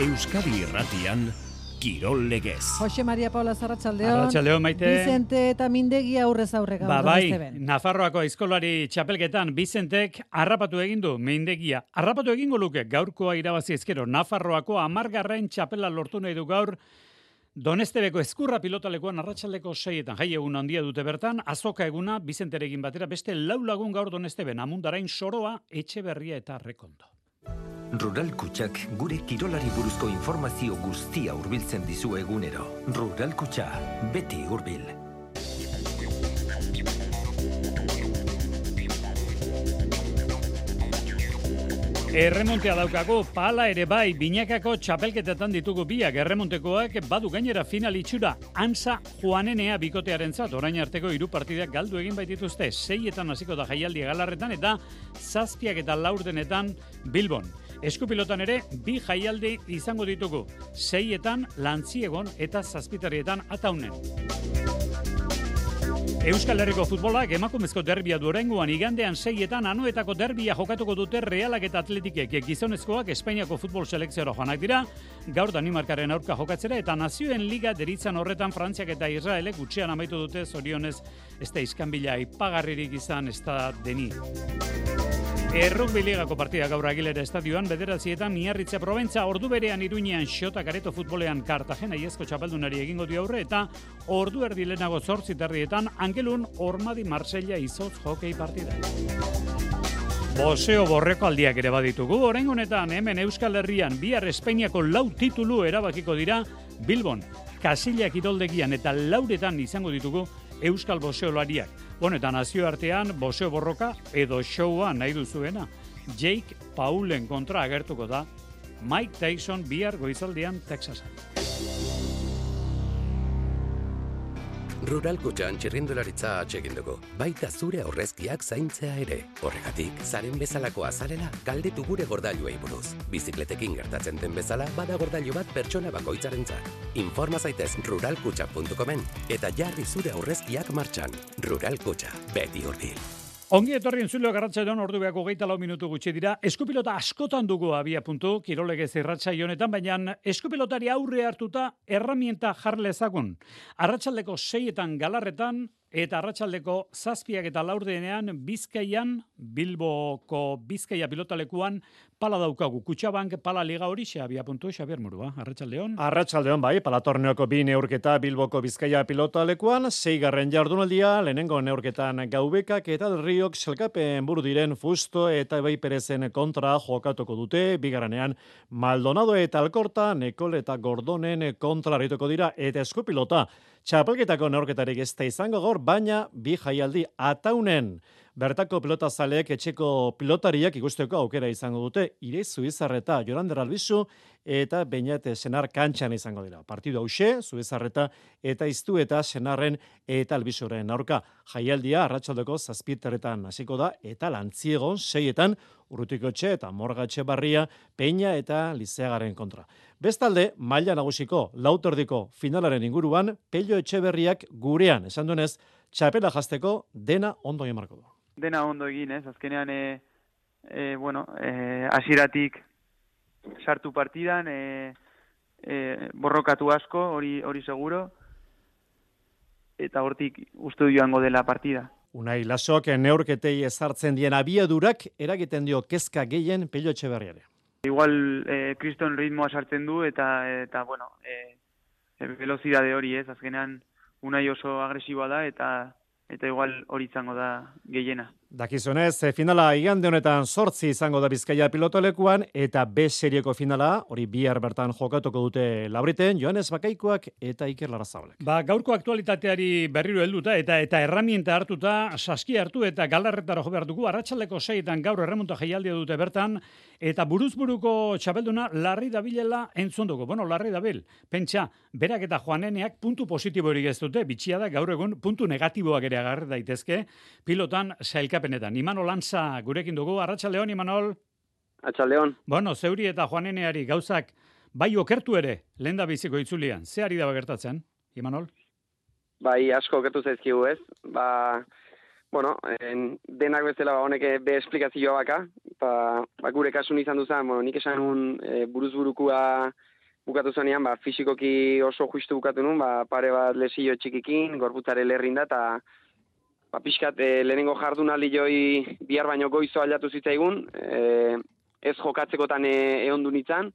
Euskadi Irratian, Kirol Legez. Jose Maria Paula Arratsaldeon. Arratsaldeon, Maite. Vicente eta Mindegi aurrez aurre gaur. Bai, Nafarroako aizkolari txapelketan Vicentek harrapatu egin du Mindegia. Harrapatu egingo luke gaurkoa irabazi ezkero Nafarroako 10. txapela lortu nahi du gaur. Donestebeko Ezkurra pilotalekuan arratsaldeko 6etan jai egun handia dute bertan, azoka eguna Vicenterekin batera beste 4 lagun gaur Donesteben, Amundarain, Soroa, Etxeberria eta Rekondo. Rural Kutxak gure kirolari buruzko informazio guztia hurbiltzen dizu egunero. Rural Kutxa, beti hurbil. Erremontea daukago, pala ere bai, binakako txapelketetan ditugu biak, erremontekoak badu gainera final itxura, Ansa Juanenea bikotearentzat, orain arteko 3 partidak galdu egin baitituzte, 6etan hasiko da jaialdi Galarretan eta 7 eta 4 Bilbon. Eskupilotan ere, 2 jaialdi izango ditugu, 6etan Lantziegon eta 7 Ataunen. Euskal Herriko futbolak emakumezko derbia du oraingoan, igandean 6etan Anoetako derbia jokatuko dute Realak eta Atletikek. Gizonezkoak Espainiako futbol selekziora joanak dira, gaur Danimarkaren aurka jokatzera eta Nazioen Liga deritzan horretan Frantziak eta Israelek gutxean amaitu dute, zorionez ez da iskanbila ipagarririk izan ez da deni. Errugbi ligako partida gaur Agilera estadioan, 9etan Miarritze Probentza, ordu berean Iruñean Xota Kareto futbolean Kartagena iazko txapeldunari egingo dio aurre eta ordu erdi lehenago 8:30 Angelun Ormadi Marsella izotz hokei partida. Boseo borreko aldiak ere baditugu, oraingo honetan hemen Euskal Herrian bihar Espainiako 4 titulu erabakiko dira Bilbon, Kasilla kiroldegian eta 4etan izango ditugu Euskal boseolariak. Eta nazioartean boseo borroka edo showa nahi duzuena. Jake Paulen kontra agertuko da Mike Tyson bihar goizaldean Texasan. Rural Kutxan txirrindularitza atsegin dugu, baita zure aurrezkiak zaintzea ere. Horregatik, zaren bezalakoa zarela, galdetu gure gordailuei buruz. Bizikletekin gertatzen den bezala, bada gordailu bat pertsona bakoitzarentzat. Informa zaitez ruralkutxa.comen eta jarri zure aurrezkiak martxan. Rural Kutxa, beti hurbil. Ongi etorri entzuleo garratsaioan orduak 24 minutu gutxi dira. Eskupilota askotan dugu abia puntu, Kirolegez irratsaio honetan, baina eskupilotari aurre hartuta erramienta jarlezagun. Arratsaldeko 6etan Galarretan eta arratsaldeko 7 eta 4 Bizkaian, Bilboko Bizkaia pilotalekuan pala daukagu. Kutxabank pala liga hori abia puntu, Xabier Murua. Arratsaldeon. Arratsaldeon bai, pala torneoko 2 neurketa Bilboko Bizkaia pilotalekuan, 6. jardunaldia, lehenengo neurketan Gaubekak eta Del Riok selkapen buru diren Fusto eta Ebai Perezen kontra jokatuko dute, bigarrenean Maldonado eta Alkorta, Nekol eta Gordonen kontra arituko dira, eta eskupilota txapelketako neurketarik ez da izango gaur, baina 2 jaialdi Ataunen. Bertako pilotazaleek etxeko pilotariak ikusteko aukera izango dute, Ireizu Izarreta, Jorander Albizu eta Beñat Senar kantxan izango dira. Partidu hauxe, Zubizarreta eta Iztu eta Senarren eta Albizuren aurka. Jaialdia arratsaldeko 7 hasiko da eta Lantziegon 6etan Urrutikotxe eta Morga Etxebarria, Peña eta Lizeagaren kontra. Bestalde, maila nagusiko 4 finalaren inguruan, Pello Etxeberriak gurean, esan duenez, txapela jazteko dena ondo egin marko du. Dena ondo egin, azkenean, hasieratik sartu partidan, borrokatu asko, hori seguro, eta hortik uste joango dela partida. Unai Lasok neurketei ezartzen dien abiadurak eragiten dio kezka gehien Pello Etxeberriare. Igual, kriston ritmoa sartzen du, eta velozidade hori ez, azkenean Unai oso agresiboa da, eta igual hori izango da gehiena. Dakizunez, finala igande honetan 8 izango da Bizkaia pilotolekuan, eta B serieko finala, hori bihar bertan jokatuko dute Labriten, Joanes Bakaikoak eta Iker Larrazabalek. Gaurko aktualitateari berriro helduta eta erramienta hartuta, saski hartu eta Galarretara jo behar dugu, arratsaldeko 6etan gaur erremonta jaialdia dute bertan, eta buruzburuko txapelduna Larri Dabilela entzun dugu. Larri Dabil, pentsa, berak eta Juaneneak puntu positiborik ez dute, bitxia da gaur egun puntu negatiboak ere agarri daitezke, pilotan sailkapenetan. Imanol Antza gurekin dugu, arratsaldeon Imanol. Arratsaldeon. Zeuri eta Juaneneari gauzak bai okertu ere, lenda biziko itzulian. Ze ari da gertatzen, Imanol? Bai, asko okertu zaizkigu ez. Denak bezala honek be esplikazioa baka. Gure kasun izan duzan, nik esan un buruzburukua bukatu zonean, fisikoki oso justu bukatu nun, pare bat lesio txikikin, gorputzare lerrin da, eta pixkat lehenengo jardunaldi joi bihar baino goizo aldatu zitzaigun, ez jokatzekotan ehondu nintzen,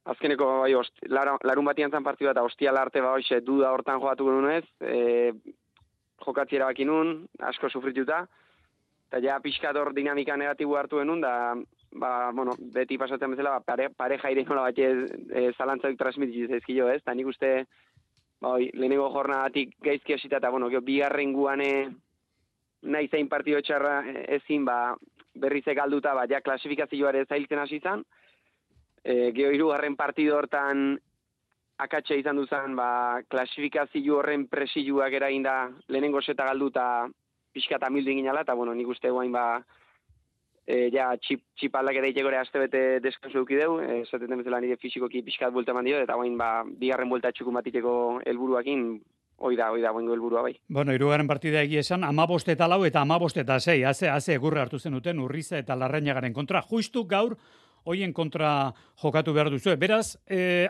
azkeneko larun batian zan partidu eta ostiala arte duda hortan jokatu nunez, jokatzi erabaki nun, asko sufrituta, eta ja pixkat hor dinamika negatibu hartu genuen, da beti pasatzen bezala, pareja ire nola bat zalantzaik transmitiz ezkilo ez, eta nik uste lehenengo jornadatik gaizki hasita, eta bigarren guane nahi zein partido txarra ezin, berrize galduta, ja klasifikazioare zailtzen hasi zan, geho hirugarren partido hortan akatxe izan duzan, klasifikazio horren presiluak eraginda lehenengo seta galduta pixka eta mildu inginala, eta nik uste guain txip aldaketa itxekore aste bete deskansu dukideu, esaten bezala nire fisikoki pixkat buelta eman dio, eta guain bigarren buelta txukun bat itxeko helburuakin, hoi da, boingo helburua bai. Bueno, hirugarren partida egia esan, 15 eta 4 eta 15 eta 6, haze egurra hartu zenuten Urriza eta Larrañagaren kontra. Justu gaur, hoien kontra jokatu behar duzu. Beraz,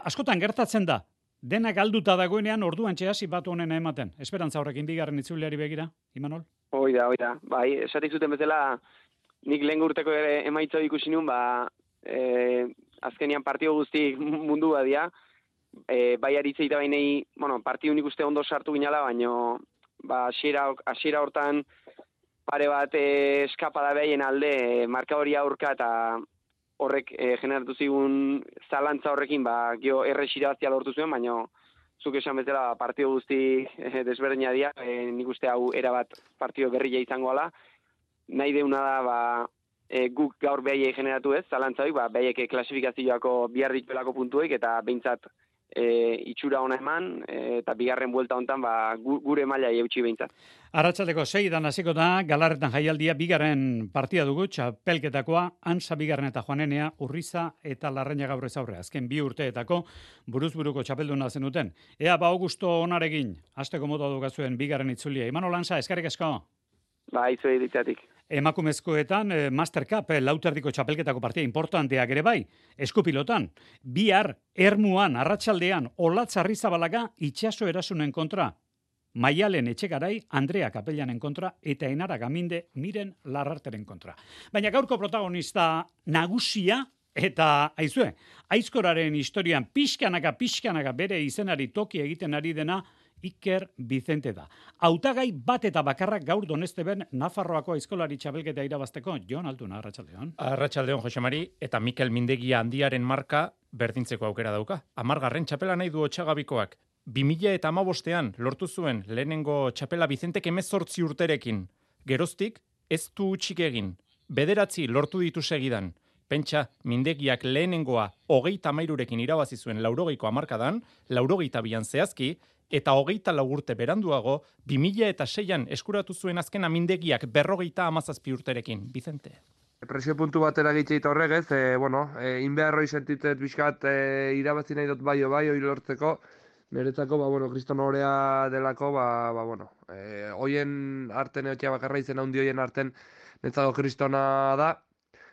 askotan gertatzen da, dena galduta dagoenean orduan txehasi batu honen ematen. Esperantza horrekin bigarren itzuliari begira, Imanol? Hoi da. Bai, esatik zuten bezala, nik lehen urteko ere emaitza ikusi nun, azkenian partio guztik mundu badia, bai aritzeita bainei, partio nik uste ondo sartu ginala, baino, hasiera hortan pare bat eskapada behien alde, marka hori aurka eta horrek generatu zigun zalantza horrekin, gio errexirabazia lortu zuen, baino, zuk esan bezala partio guzti desberdina dira, nik uste hau erabat partio berria izango ala, nahi deuna da, guk gaur behaiei generatu ez, zalantza hori, behaiek klasifikazioako bihar dituelako puntuek, eta behintzat itxura ona eman, eta bigarren buelta hontan gure maila eutxi behintzat. Arratsaldeko 6 hasiko da, Galarretan jaialdia bigarren partida dugu, txapelketakoa, Antza bigarren eta Joanenea, Urriza eta Larrañaga aurrez aurre. Azken 2 urteetako buruzburuko txapelduna zenuten. Ea Augusto onarekin, hasteko moto dukazuen bigarren itzulia. Imanol Antza, eskerrik asko. Izuei ditzatik. Emakumezkoetan Master Cup lauterdiko txapelketako partia importanteak ere bai, eskupilotan. Bihar, Ermuan, arratsaldean, Olatz Arrizabalaga itxaso erasunen kontra. Maialen Etxegarai, Andrea Kapellanen kontra, eta Enara Gaminde Miren Larrarteren kontra. Baina gaurko protagonista nagusia, eta aizkoraren historian pixkanaka bere izenari toki egiten ari dena, Iker Vicente da. Hautagai bat eta bakarrak gaur Donesteben Nafarroako aizkolari txapelketa irabazteko. Jon Altuna, arratsaldeon. Arratsaldeon, Jose Mari, eta Mikel Mindegia handiaren marka berdintzeko aukera dauka. 10. txapela nahi du Otxagabikoak. 2015ean lortu zuen lehenengo txapela Vicentek 18 urterekin. Geroztik ez du utxik egin. 9 lortu ditu segidan. Pentsa, Mindegiak lehenengoa 33rekin irabazi zuen 80ko hamarkadan, 82an zehazki, eta 24 urte beranduago, 2006an eskuratu zuen azkena Mindegiak 57 urterekin. Vicente. Presio puntu batera gitzeita horregez, inbeharroi sentitzet bizkat irabazi nahi dut bai hori lortzeko, niretzako, kriston horea delako, hoien arten eotia bakarra izena hundi hoien arten netzako kristona da,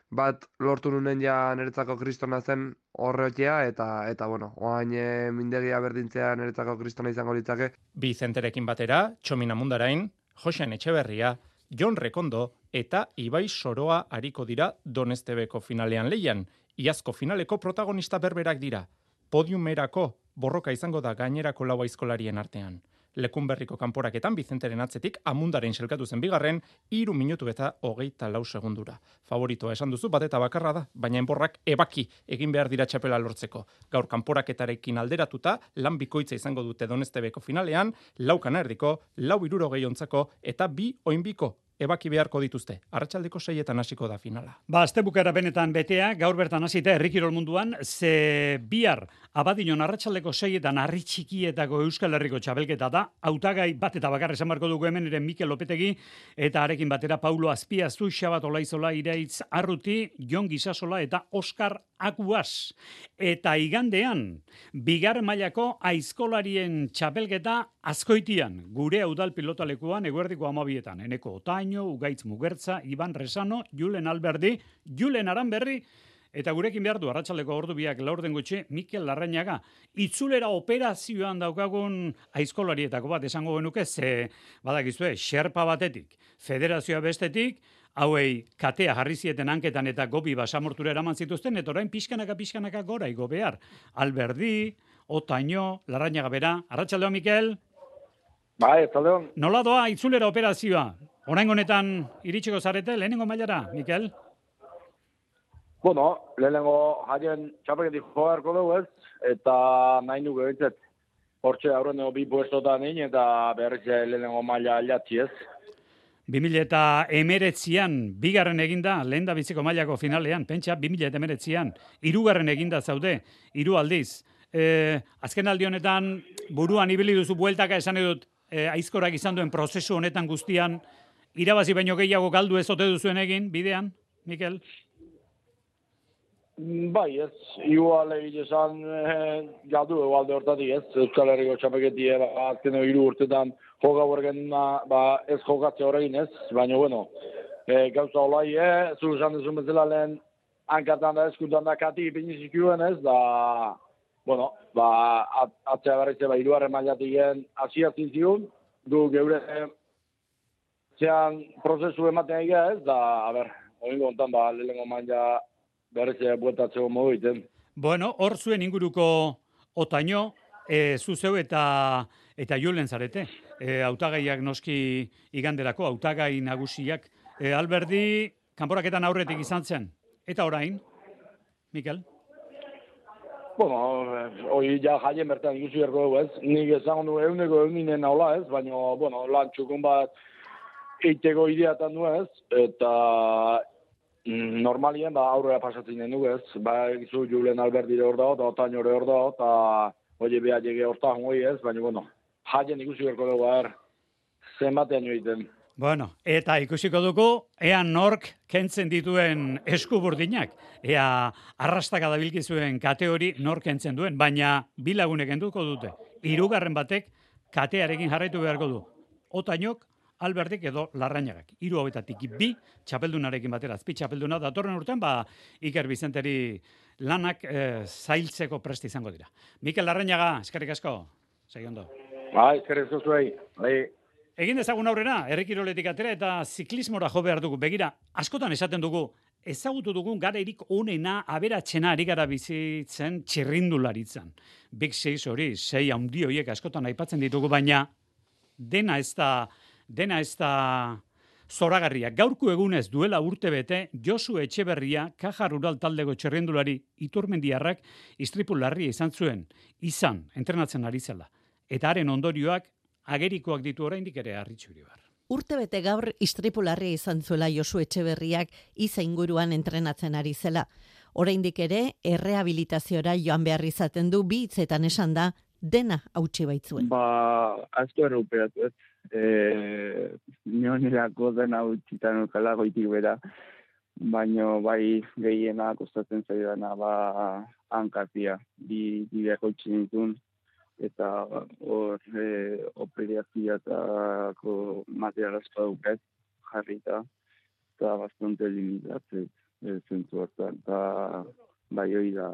bat lortu nunen ja niretzako kristona zen horreotia, eta oain Mindegia berdintzea niretzako kristona izango litzake. Vicenterekin batera, Txomin Amundarain, Josean Etxeberria, Jon Rekondo eta Ibai Soroa ariko dira Donestebeko finalean lehian. Iazko finaleko protagonista berberak dira. Podiumerako borroka izango da gainerako 4 aizkolarien artean. Lekunberriko kanporaketan Vicenteren atzetik Amundaren selkatu zen bigarren 3 minutu eta 24 segundura. Favoritoa esan duzu bat eta bakarra da, baina enborrak ebaki egin behar dira txapela lortzeko. Gaur kanporaketarekin alderatuta lan bikoitza izango dute Donestebeko finalean, 4:40, 4:60 eta 2 oinbiko ebaki beharko dituzte. Arratsaldeko 6etan hasiko da finala. Astebukera benetan betea, gaur bertan hasita herrikirol munduan, ze bihar Abadiñon arratsaldeko 6etan harri txikietako Euskal Herriko txapelketa da. Hautagai bat eta bakar esan barko dugu hemen ere Mikel Lopetegi eta arekin batera Paulo Azpiazu, Xabat Olaizola, Iraitz Arruti, Jon Gisasola eta Oskar Akuas. Eta igandean, bigarren mailako aizkolarien txapelketa Azkoitian, gure udal pilotalekuan eguerdiko 12etan. Eneko Otaino, Ugaitz Mugertza, Iban Resano, Julen Alberdi, Julen Aranberri Eta gurekin behar du, arratsaldeko ordu biak laurden gutxi, Mikel Larrañaga. Itzulera operazioan daukagun aizkolarietako bat esango genuke, ze badakizue, xerpa batetik, federazioa bestetik, hauei katea jarri zieten hanketan eta gobi basamortura eraman zituzten, eta orain pixkanaka gora igo behar. Alberdi, Otaño, Larrañaga bera. Arratsaldeon, Mikel? Bai, arratsaldeon. Nola doa itzulera operazioa? Oraingo honetan iritsiko zarete, lehenengo mailara, Mikel? Bueno, lehenengo jaien txapeketik joarko dugu ez, eta nahi nuke bintzat. Hortxe aurreneko 2 puestotan eta berriz lehenengo maila alatzi ez. 2019an bigarren eginda, lehen da biziko mailako finalean, pentsa 2019an, 3. eginda zaude, 3 aldiz. Azken aldi honetan, buruan ibili duzu bueltaka esan edut, aizkorak izan duen prozesu honetan guztian, irabazi baino gehiago galdu ez ote duzuen egin, bidean, Mikel? Bai, ez, igual egin esan galdu egualde hortatik ez, Euskal Herriko txapeketie azken 3 urtetan joka borgen ez jokatze horregin ez, baina bueno, gauza olai, zu esan duzun bezala lehen hankatan da eskutan da kati ipinizikuen ez, da, bueno, atzea berrize 3. mailatik hasiatzen zigun, du geure zean prozesu ematen egia ez, da, a ber, oingo ontan lehenengo maila berrize bueltatzeko modu iten. Bueno, hor zuen inguruko Otaño, zuzeu eta Julen zarete. Hautagaiak noski iganderako, hautagai nagusiak. Alberdi, kanporaketan aurretik izan zen. Eta orain, Mikel? Bueno, hori ja jaien bertan ikusi berko dugu ez. Nik esan du eguneko naula ez, baina, bueno, lan txukun bat eiteko ideatan du ez, eta normalien aurrera pasatzen den dugu ez. Gizu Julen Alberdire hor dago, eta Otañore hor dago, eta hori behar jege hortan hori ez, baina, bueno, jaien ikusi berko dugu, zenbatean joiten. Bueno, eta ikusiko dugu, ea nork kentzen dituen eskuburdinak, ea arrastaka dabilkizuen kate hori nork kentzen duen, baina 2 lagunek kenduko dute. 3. batek katearekin jarraitu beharko du. Otañok, Alberdik edo Larrañagak. 3 hauetatik 2 txapeldunarekin batera, azpi txapelduna datorren urtean, Iker Bizenteri lanak zailtzeko presti izango dira. Mikel Larrañaga, eskerrik asko. Segi ondo. Bai, eskerrik asko zuei. Bai. Egin dezagun aurrera, herrikiroletik atera eta ziklismora jo behar dugu. Begira, askotan esaten dugu, ezagutu dugun garairik onena aberatsena ari gara bizitzen txirrindularitzan. Big 6 hori, 6 handi horiek askotan aipatzen ditugu, baina dena ez da zoragarria. Gaurko egunez duela urtebete, Josu Etxeberria, Kaja Rural taldeko txirrindulari Iturmendiarrak istripu larria izan, entrenatzen ari zela. Eta haren ondorioak agerikoak ditu oraindik ere harritxuri bar. Urtebete gaur istripu larria izan zuela Josu Etxeberriak Iza inguruan entrenatzen ari zela. Oraindik ere errehabilitaziora joan behar izaten du, 2 hitzetan esan da, dena hautsi baitzuen. Asko erruperatu ez. Nionirako dena hautxitan ukala goitik bera, baino bai gehiena kostatzen zaidana hankatia, bideak hautsi nituen, eta hor operazioetako material asko duket jarrita, eta bastante limitatzen zentzu hartan, eta bai hori da.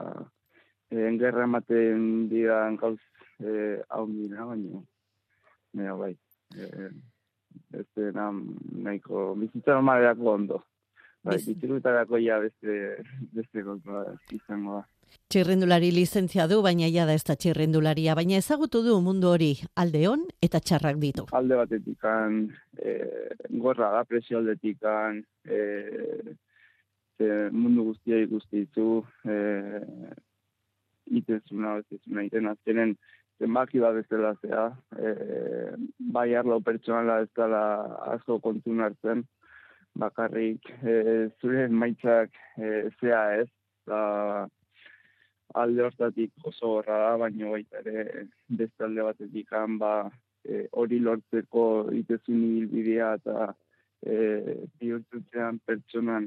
Engerra ematen diran gauz hau dira, baina bai. Ez dena nahiko bizitza normalerako ondo. Bai, bizirutarako ja beste kontua izango da. Txirrindulari lizentzia du, baina ja da ez da txirrindularia, baina ezagutu du mundu hori alde on eta txarrak ditu. Alde batetikan, gorra da, presio aldetikan, mundu guztia ikusti ditu, itezuna, iten azkenen, zenbaki bat bezala zea, bai arlo pertsonala ez dela asko kontun hartzen, bakarrik zure maitzak zea ez, da alde hortatik oso gorra da, baina baita ere beste alde batetik hori lortzeko itezun ibilbidea eta bihurtzean pertsonan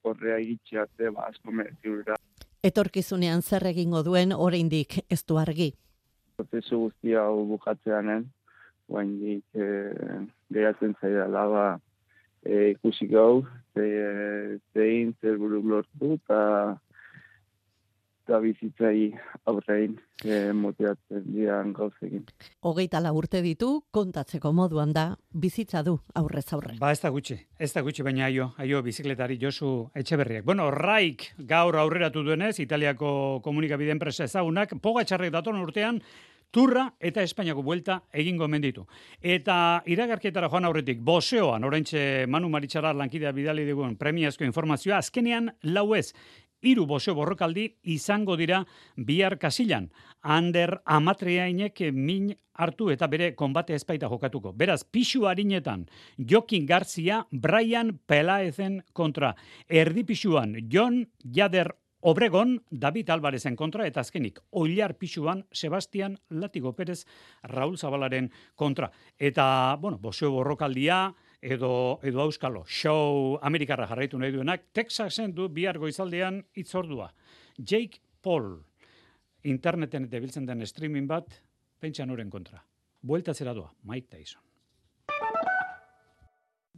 horrea iritxeatze asko mereziura. Etorkizunean zer egingo duen oraindik ez du argi. Prozesu guztia hau bukatzeanen, oraindik geratzen zaidala ikusi gau, zein, zer buruk lortu, eta bizitzai aurrein motibatzen dian gauzekin. 24 urte ditu, kontatzeko moduan da, bizitza du aurrez aurre. Ba, ez da gutxi, baina aio bizikletari Josu Etxeberriak. Bueno, Raik gaur aurreratu duenez, Italiako komunikabide enpresa ezagunak, Pogačarrek datorren urtean, Turra eta Espainiako buelta egingo omen ditu. Eta iragarkietara joan aurretik, boxeoan, oraintxe Manu Maritxarar lankidea bidali dugun premiazko informazioa, azkenean 4 3 boxeo borrokaldi izango dira bihar Kasilan. Ander Amatriainek min hartu eta bere konbate ezpaita jokatuko. Beraz, pixu harinetan, Jokin Garzia, Brian Pelaezen kontra. Erdi pixuan, Jon Jader Obregon, David Alvarezen kontra, eta azkenik, Oilar pixuan, Sebastian Latigo Perez, Raul Zabalaren kontra. Eta, bueno, boxeo borrokaldia, edo auskalo, show Amerikarra jarraitu nahi duenak, Texasen du bihar goizaldean itzordua. Jake Paul, interneten eta biltzen den streaming bat, pentsan oren kontra. Bueltatzera doa, Mike Tyson.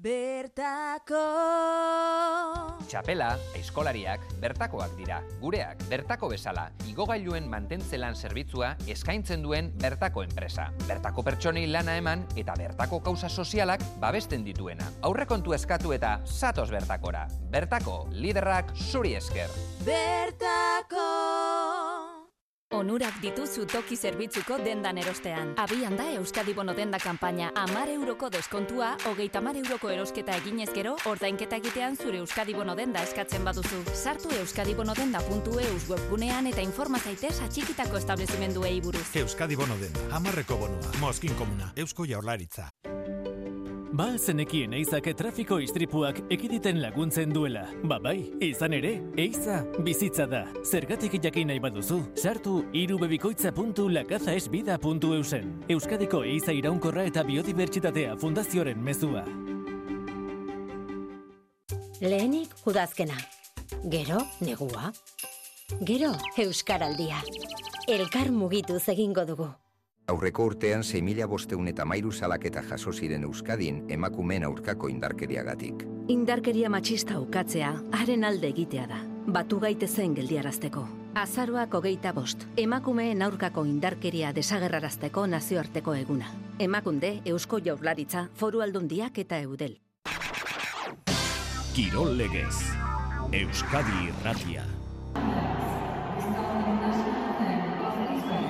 Bertako Txapela, aizkolariak, bertakoak dira. Gureak, bertako bezala, igogailuen mantentzelan zerbitzua eskaintzen duen bertako enpresa. Bertako pertsonei lana eman eta bertako kausa sozialak babesten dituena. Aurrekontu eskatu eta zatoz bertakora. Bertako, liderrak zuri esker. Bertako Onurak dituzu toki zerbitzuko dendan erostean. Abian da Euskadi Bono denda kanpaina 10 euroko deskontua, 30 euroko erosketa eginez gero, ordainketa egitean zure Euskadi Bono denda eskatzen baduzu. Sartu euskadibonodenda.eus webgunean eta informa zaitez atxikitako establezimenduei buruz. Euskadi Bono denda, 10 bonua, Moskin Komuna, Eusko Jaurlaritza. Ba zenekien eizak trafiko istripuak ekiditen laguntzen duela. Ba bai, izan ere, eiza bizitza da. Zergatik jakin nahi baduzu, sartu irubebikoitza.lakazaesbida.eusen. Euskadiko eiza iraunkorra eta biodibertsitatea fundazioaren mezua. Lehenik udazkena. Gero negua. Gero euskaraldia. Elkar mugituz egingo dugu. Aurreko urtean 6.513 salaketa jaso ziren Euskadin emakumeen aurkako indarkeriagatik. Indarkeria matxista ukatzea, haren alde egitea da. Batu gaitezen geldiarazteko. Azaroak 25, emakumeen aurkako indarkeria desagerrarazteko nazioarteko eguna. Emakunde, Eusko Jaurlaritza, Foru Aldundiak eta Eudel. Kirol legez, Euskadi Irratia.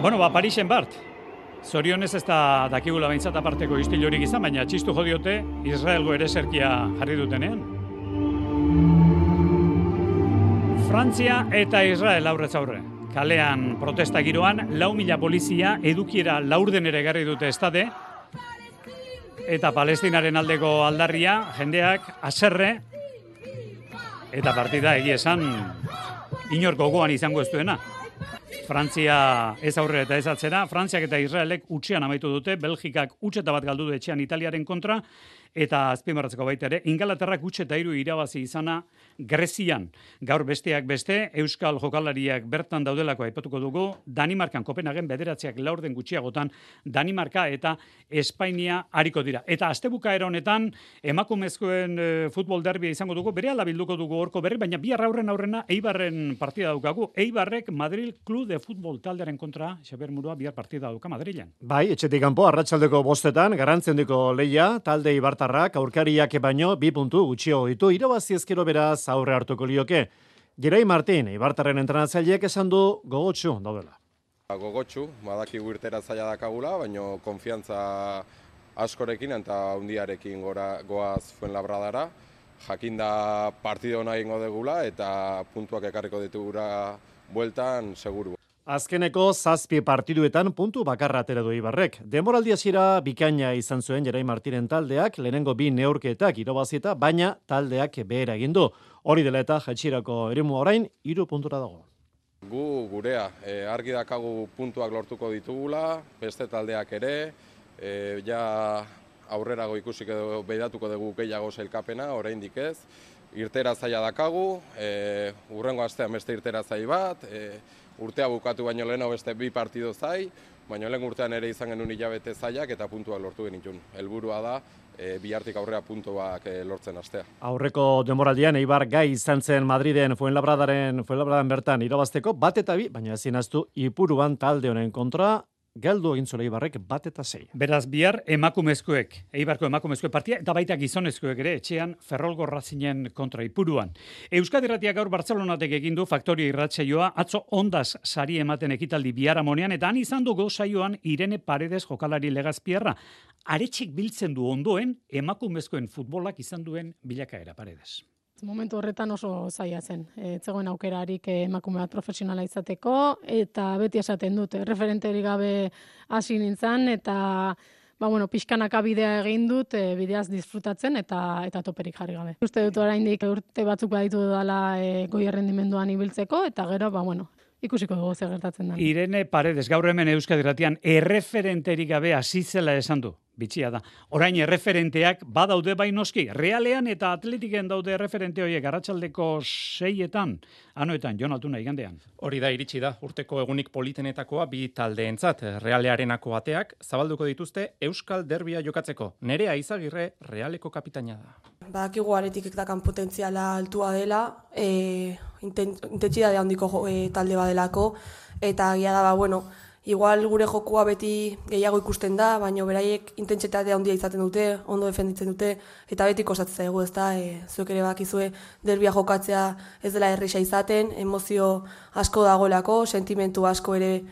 Bueno, Parisen Bart. Zorionez ez da dakigula behintzat aparteko istilorik izan, baina txistu jodiote Israelgo ereserkia jarri dutenean. Frantzia eta Israel aurrez aurre. Kalean protesta giroan, 4.000 polizia edukiera laurdenera egarri dute estade, eta Palestinaren aldeko aldarria, jendeak haserre, eta partida egia esan inor gogoan izango ez duena. Frantzia ez aurre eta ez atzera, Frantziak eta Israelek utxean amaitu dute, Belgikak utxeta bat galdu du etxean Italiaren kontra, eta azpimarratzeko baita ere, Ingalaterrak utxeta 3 irabazi izana Grezian. Gaur besteak beste, Euskal jokalariak bertan daudelako aipatuko dugu, Danimarkan, Kopenhagen 9 laurden gutxiagotan, Danimarka eta Espainia hariko dira. Eta astebukaera honetan, emakumezkoen futbol derbia izango dugu, berehala bilduko dugu horko berri, baina bihar aurrena Eibarren partida daukagu. Eibarrek Madrid Club de Futbol taldearen kontra, Xaber Murua bihar partida dauka Madrilen. Bai, etxetik kanpo arratsaldeko 5 garantziondiko leia, talde Ibartarrak aurkariak baino 2 puntu gutxio ditu, irabazi ezkero beraz aurre hartuko lioke. Gerai Martin, Ibartarren entrenatzaileak esan du gogotsu daudela. Gogotsu, badakigu irtera zaila dakagula, baino konfiantza askorekin eta hundiarekin goaz Fuenlabradara. Jakinda partido nahi ingo degula eta puntuak ekarriko ditugura bueltan seguru. Azkeneko 7 partiduetan puntu bakarra atera du Ibarrek. Denboraldi hasiera bikaina izan zuen Gerai Martinen taldeak, lehenengo 2 neurketak irabazieta, baina taldeak behera egin du. Hori dela eta jatxirako eremu orain 3 puntura dago. Gu gurea, argi dakagu puntuak lortuko ditugula, beste taldeak ere, ja aurrerago ikusik edo beidatuko dugu gehiago sailkapena, oraindik ez. irtera zaila dakagu, urrengo astean beste irtera zai bat, urtea bukatu baino lehenago beste 2 partido zai, baina lehen urtean ere izan genuen hilabete zailak eta puntuak lortu genitun. Helburua da, bihartik aurrea puntuak lortzen astea. Aurreko denboraldian Eibar gai izan zen Madriden Fuenlabradan bertan irabazteko 1-2, baina ezin ahaztu Ipuruan talde honen kontra galdu egin zuela Eibarrek 1-6. Beraz bihar emakumezkoek, Eibarko emakumezkoek partia eta baita gizonezkoek ere etxean Ferrolgo Racingen kontra Ipuruan. Euskadi Irratiak gaur Bartzelonatek egin du Faktoria irratsaioa, atzo Ondas sari ematen ekitaldi biharamonean eta han izan dugu saioan Irene Paredes jokalari Legazpierra. Aretxik biltzen du ondoen emakumezkoen futbolak izan duen bilakaera Paredes. Momentu horretan oso zaila zen. Zegoen aukerarik emakume bat profesionala izateko, eta beti esaten dut, referenterik gabe hasi nintzen, eta pixkanaka bidea egin dut, bideaz disfrutatzen eta toperik jarri gabe. Uste dut oraindik urte batzuk baditu dela goi errendimenduan ibiltzeko, eta gero, ikusiko dugu zer gertatzen da. Irene Paredes, gaur hemen Euskadi Irratian erreferenterik gabe hasi zela esan du. Bitxia da. Orain erreferenteak badaude bai noski. Realean eta Atletiken daude erreferente horiek arratsaldeko 6etan, Anoetan, Jon Altuna igandean. Hori da iritsi da, urteko egunik politenetakoa 2 taldeentzat. Realearenako ateak zabalduko dituzte Euskal Derbia jokatzeko. Nerea Izagirre Realeko kapitaina da. Badakigu Athleticek dakan potentziala altua dela, intentsitate handiko talde badelako, eta agia da, igual gure jokua beti gehiago ikusten da, baina beraiek intentsitate handia izaten dute, ondo defenditzen dute, eta beti kostatzen zaigu, ezta, zuek ere bakizue derbia jokatzea ez dela erresa izaten, emozio asko dagoelako, sentimentu asko ere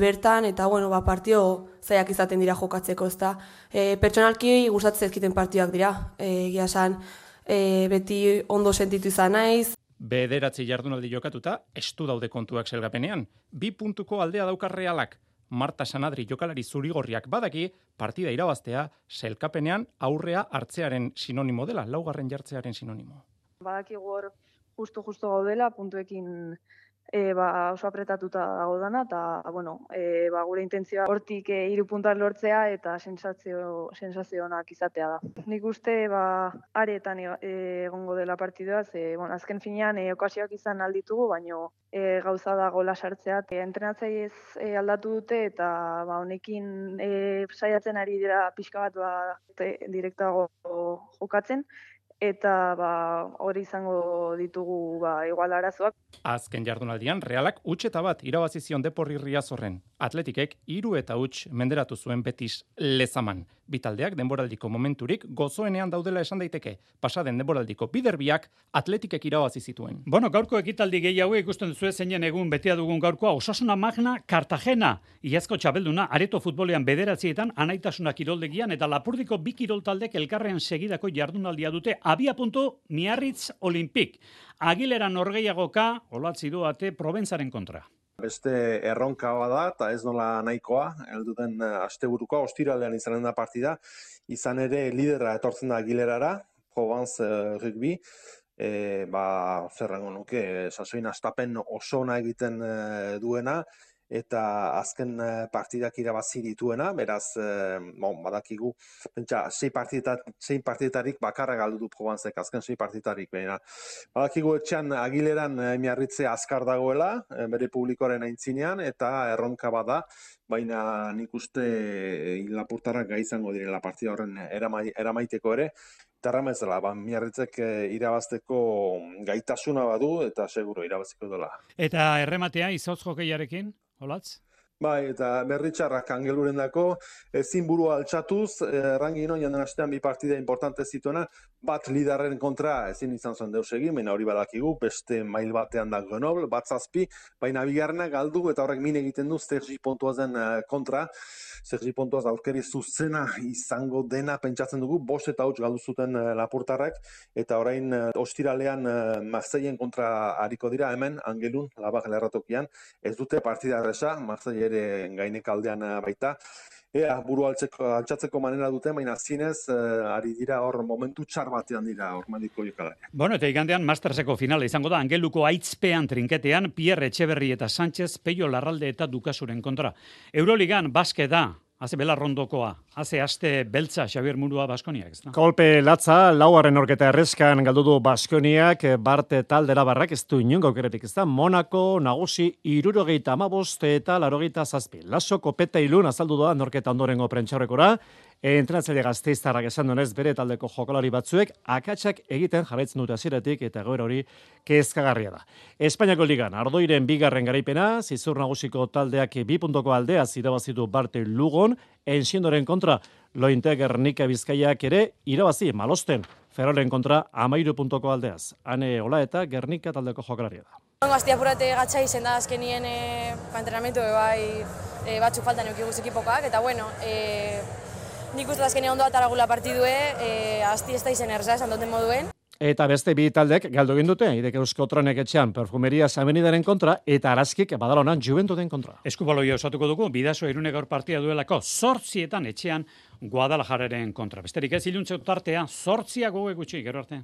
bertan, eta partio zaiak izaten dira jokatzeko, ezta. Pertsonalki gustatzen zaizkiten partioak dira, egia esan beti ondo sentitu izan naiz. 9 jardunaldi jokatuta, estu daude kontuak selgapenean. 2 puntuko aldea daukar Realak. Marta Sanadri jokalari zurigorriak badaki, partida irabaztea, selkapenean aurrea hartzearen sinonimo dela, 4. jartzearen sinonimo. Badaki hor justo gaudela, puntuekin oso apretatuta dago dana, eta gure intentzioa hortik 3 puntuak lortzea eta sensazio onak izatea da. Nik uste aretan egongo dela partidua, azken finean okasioak izan alditugu, baino gauza da gola sartzea. Entrenatzaiez aldatu dute eta honekin saiatzen ari dira pixka bat direktago jokatzen. Eta hori izango ditugu igual arazoak. Azken jardunaldian Realak huts bat irabazi zion Deporri Riazorren. Atletikek 3-0 menderatu zuen Betis Lezaman. Bitaldeak denboraldiko momenturik gozoenean daudela esan daiteke. Pasaden denboraldiko biderbiak Atletikek irabazi zituen. Gaurko ekitaldi gehiago ikusten duzu zeinen egun betea dugun gaurkoa Osasuna Magna Cartagena. Iazko txapelduna Areto futbolean 9etan Anaitasuna kiroldegian eta Lapurdiko 2 kiroltaldek elkarrean segidako jardunaldia dute. Abiapuntu Miarritz Olimpik. Agilera norgehiagoka olatzi du ate Provenzaren kontra. Beste erronka bada eta ez nola nahikoa, helduten asteburukoa, ostiralean izanen da partida, izan ere lidera etortzen da Agilerara, Provence rugby, zerrengo nuke, sasoin astapen oso ona egiten duena, eta azken partidak irabazi dituena, beraz, badakigu, pentsa, 6 partidetarik bakarra galdu du Provencek, azken 6 partidetarik, badakigu etxean Agileran Miarritzea azkar dagoela, bere publikoaren aintzinean, eta erronka bada, baina nik uste Lapurtarrak gai izango direla partida horren eramaiteko ere, eta erramezela, Miarritzek irabazteko gaitasuna badu, eta seguro irabaziko dela. Eta errematea izautz jokeiarekin? Olatz? Bai, eta berritxarrak Angeluren dako, ezin burua altxatuz, Rangino janden astean 2 partida importante zituena, bat liderren kontra ezin izan zuen deus egin, baina hori badakigu, beste mail batean da Grenoble, bat 7, baina bigarrena galdu eta horrek min egiten du Sergi Pontoazen kontra, Sergi Pontoaz aurkeri zuzena izango dena pentsatzen dugu, 5 eta 8 galdu zuten Lapurtarrak, eta orain ostiralean Marseillen kontra hariko dira hemen, Angelun, Labak lerratokian, ez dute partida erresa, Marseille ere gainek aldean baita. Buru altxatzeko manera dute, baina zinez, ari dira hor momentu txar batean dira hor mediko jokalariak. Eta igandean Masterseko finala izango da Angeluko aitzpean trinketean Pierre Etxeberri eta Sánchez, Peio Larralde eta Dukasuren kontra. Euroligan basket da. Haze belarrondokoa, haze aste beltza Xabier Murua Baskoniak, ez da? Kolpe latza, laugarren orketa erreskan galdu du Baskoniak, Barte taldera barrak ez du inongo aukeretik, ez da? Monako nagusi 75 eta 87. Laso Kopeta Ilun azaldu doa norketa ondorengo prentxaurrekora, entrenatzaile Gasteiztarrak esan donez bere taldeko jokalari batzuek akatsak egiten jarraitzen dute hasieratik eta egoera hori kezkagarria da. Espainiako ligan Ardoiren bigarren garaipena, Zizur nagusiko taldeak 2 puntuko aldea irabazitu Barte Lugon, Ensiendoren kontra Lointe Gernika Bizkaiak ere irabazi Malosten, Ferolen kontra 13 puntuko aldeaz. Ane Ola eta Gernika taldeko jokalaria da. Gaztia apurate gatsa izen da azkenien entrenamendu batzuk faltan eukiguz ekipokoak, eta bueno, nik uste azkenien ondo ataragula partidue, azti ez da izen erza esan duten moduen. Eta beste bi taldek galdu egin dute, Idek Eusko Tronek etxean Perfumeria Avenidaren kontra eta Araskik Badalonan Juventuden kontra. Eskubaloia osatuko dugu, Bidaso Irune gaur partida duelako 8etan etxean Guadalajararen kontra. Besterik ez iluntzeko tartea 8 gogo gutxi, gero arte.